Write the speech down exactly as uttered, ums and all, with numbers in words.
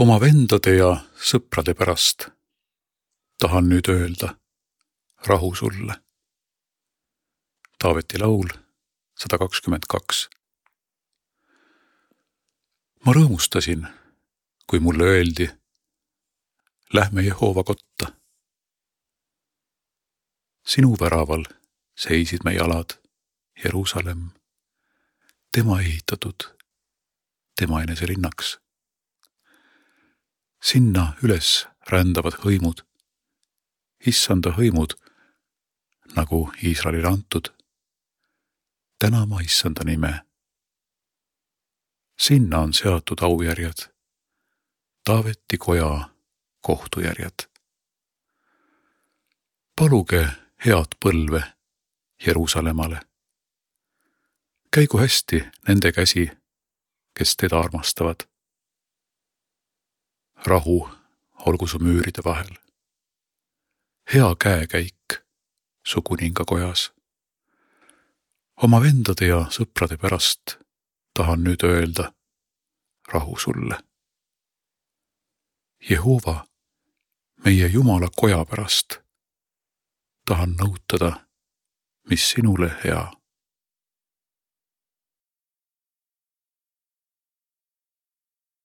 Oma vendade ja sõprade pärast tahan nüüd öelda rahu sulle. Taaveti laul sada kakskümmend kaks. Ma rõõmustasin, kui mulle öeldi, lähme Jehoova kotta. Sinu väraval seisid me jalad, Jeruusalemm, tema ehitatud, tema enese linnaks. Sinna üles rändavad hõimud, issanda hõimud, nagu Iisraelile antud, tänama issanda nime. Sinna on seatud aujärjed, Taaveti koja kohtujärjed. Paluge head põlve Jeruusalemmale. Käigu hästi nende käsi, kes teda armastavad. Rahu olgu su müüride vahel. Hea käekäik su kuninga kojas. Oma vendade ja sõprade pärast tahan nüüd öelda rahu sulle. Jehoova, meie Jumala koja pärast tahan nõutada, mis sinule hea.